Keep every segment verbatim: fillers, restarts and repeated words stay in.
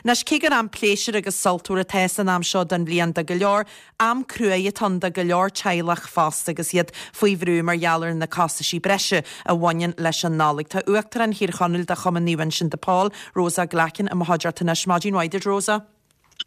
Anois, cé gur am pléisiúir agus sultmhar atá san am seo den bhliain do go leor, am cruaidh atá ann do go leor teaghlach fosta agus iad faoi bhrú mar gheall ar na costaisí breise a bhaineann leis an Nollaig. Tá Uachtarán Thír Chonaill de Chumann Naomh Uinseann de Pól, Rosa Glackin, i mo chuideachta anois. Maidin mhaith duit, Rosa.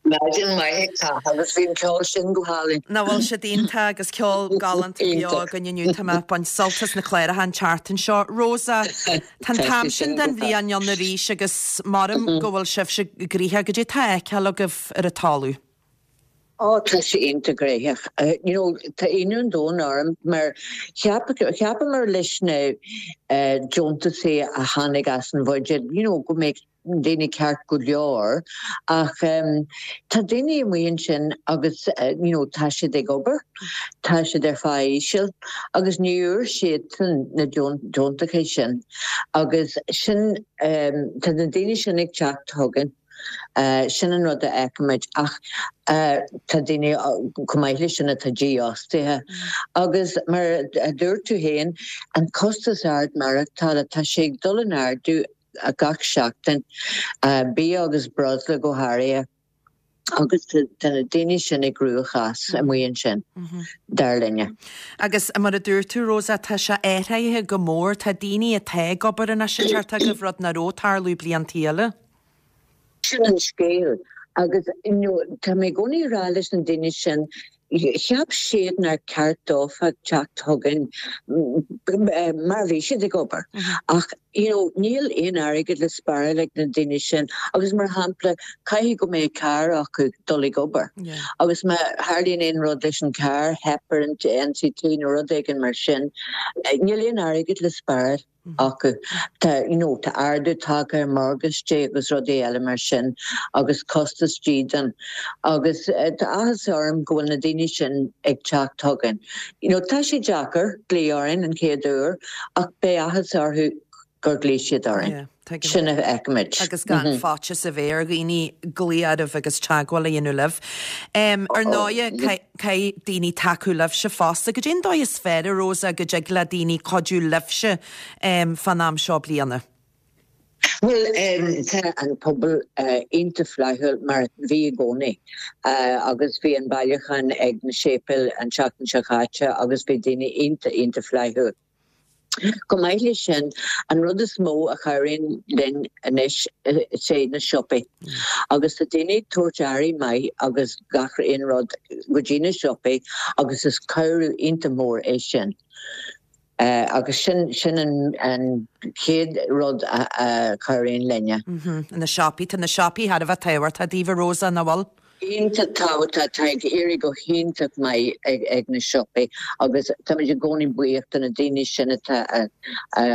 Maidin mhaith a agus bhí an ceol sin go hálainn. Nach bhfuil siad iontach agus ceol galánta beo againn inniu tá mé ag baint sult as na cláracha an tseachtain seo. Rosa, tá an t-am sin den bhliain ann arís agus maram go bhfuil sibhse gnoitheach, goidé tá á fheiceáil agaibh ar an talamh. Ó tá sé iontach gnóthach. You know, tá ionadh an domhain orm mar cheapamar leis na deontaisí a tháinig as an bhuiséad, you know, go mbeadh daoine ceart go leor ach um, tá daoine amuigh ansin agus uh, you know, tá siad ag obair, tá siad ar phá íseal agus ní fhuair siad na deontaisí sin agus sin um, tá na daoine sin ag teacht chugainn. Uh, sin an rud a fheicimid ach uh, tá daoine chomh maith leis sin atá dífhostaithe. Agus mar a dúirt tú féin an costas ard maireachtála tá sé ag dul in ardú a gach seachtain uh, bia agus breosla go háirithe. agus tá na daoine sin i gcruachás amuigh ansin dar linne. Agus mar a dúirt tú Rosa tá sé athraithe go mór tá daoine atá ag obair anois ag teacht chugaibh rud nach raibh ag tarlú blianta eile. Sin an scéal agus tá mé i gcónaí ag rá leis na daoine sin cheap siad nár cheart dófa teacht chugainn mar bhí siad ag obair. Ach you know, níl aon airgead le spáráil ag na daoine sin agus mar shampla caithfidh go mbeidh carr acu dul ag obair. Agus má tharlaíonn aon rud leis an car theip ar an NCT nó rud éigin mar sin, níl aon airgead le spáráil acu. Tá you know, tá ardú tagtha ar mortgage agus rudaí eile mar sin agus costas dídean agus uh, tá áthas orm go bhfuil na daoine sin ag teacht chugainn. You know, tá sé deacair glaoch orainn an chéad uair ach beidh áthas orthu gur ghlaoigh siad orainn. Sin a fheicimid. Agus gan mm -hmm. faitíos a bheith ar dhaoine glaoch oraibh agus teagmháil a dhéanamh libh. Um, ar ndóigh caithfidh daoine tacú libhse fosta, goidé an dóigh is fearr Rosa go dtig le daoine cuidiú libhse um, fan am seo bliana. Well um, tá an pobal uh, iontach flaithiúil mar bhí i gcónaí uh, agus bhí an bailiúchán ag na séipéil an tseachtain seo caite agus bhí daoine iontach iontach flaithiúil. Chomh maith leis sin an rud is mó a chabhraíonn linn anois sé na siopaí. Agus tá daoine tabhairt earraí maith agus gach aon rud go dtí na siopaí agus is cabhrú iontach mór é sin. Uh, agus sin sin an, an chéad rud a, a chabhraíonn linne. Mm -hmm. Na siopaí tá na siopaí thar a bheith tábhachtach daoibh Rosa nach bhfuil? Iontach tábhachtach tá ag éirí go hiontach maith ag, ag na siopaí agus táimid i gcónaí buíoch do na daoine sin atá a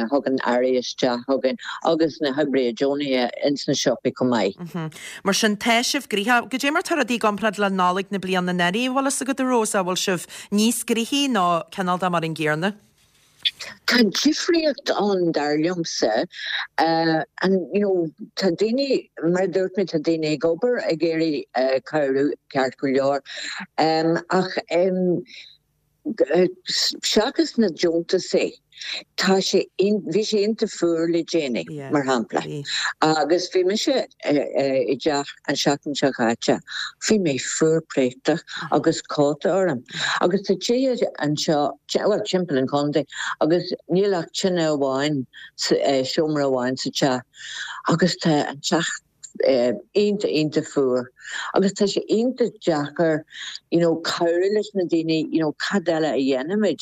thugann earraí isteach chugainn agus na hoibrithe deonacha ins na siopaí chomh maith. Mm -hmm. Mar sin tá sibh gnoitheach, goidé mar tá rudaí i gcomparáid le Nollaig na bliana anuraidh bhfuil a fhios agat Rosa bhfuil sibh níos gnoithí nó cineál de mar an gcéanna? Tá difríocht ann dar liomsa uh, and you know tá daoine mar dúirt mé tá daoine ag obair ag iarraidh uh, cabhrú ceart go leor um, ach um, seachas na deontaisí tá sé bhí sé iontach fuar le déanaí mar shampla. Agus bhí mise i dteach an seachtain seo caite, bhí mé fuar préachta agus cóta orm. Agus tá tithe anseo well timpeall an chontae agus níl ach tine amháin seomra amháin sa teach agus tá an teach iontach iontach fuar. Agus tá sé iontach deacair you know, cabhrú leis na daoine you know, cad eile a dhéanfaimid.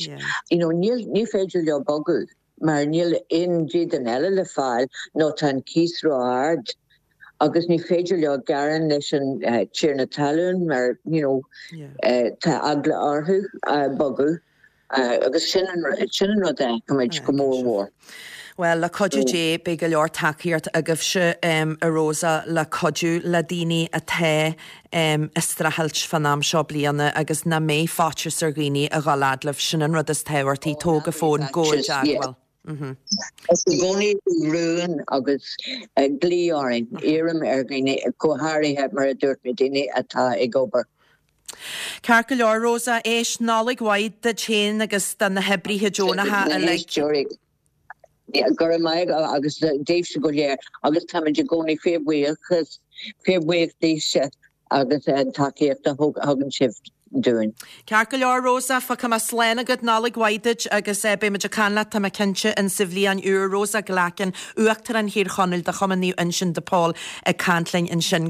You know, níl ní féidir leo bogadh mar níl aon dídean eile le fáil nó tá an cíos ró-ard. Agus ní féidir leo gearán leis an uh, tiarna talún mar you know, yeah. uh, tá eagla orthu uh, bogadh. Uh, agus sin an sin an rud é go go mór mhór. Well le cuidiú Dé beidh go leor tacaíocht agaibhse um, a Rosa le cuidiú le daoine atá um, ag streachailt fan am seo bliana agus ná bíodh faitíos ar dhaoine a dhul fhad libh sin an rud is tábhachtaí tóg an fón gabh i dteagmháil. Is i gcónaí rún agus glaoch orainn iarraim ar dhaoine go háirithe mar a dúirt mé daoine atá ag obair. Ceart go leor Rosa éis Nollaig mhaith duit féin agus do na hoibrithe deonacha uilig. Go maith agus daoibhse go léir agus táimid i gcónaí fíorbhuíochas fíor bhuíoch daoibhse agus an tacaíocht a thugann sibh dúinn. Ceart go leor Rosa fágfaidh mé slán agat Nollaig mhaith duit agus eh, beidh muid ag caint leat tá mé cinnte in sa bhliain úr Rosa Glackin, Uachtarán Thír Chonaill de Chumann Naomh Uinseann de Pól ag caint linn ansin.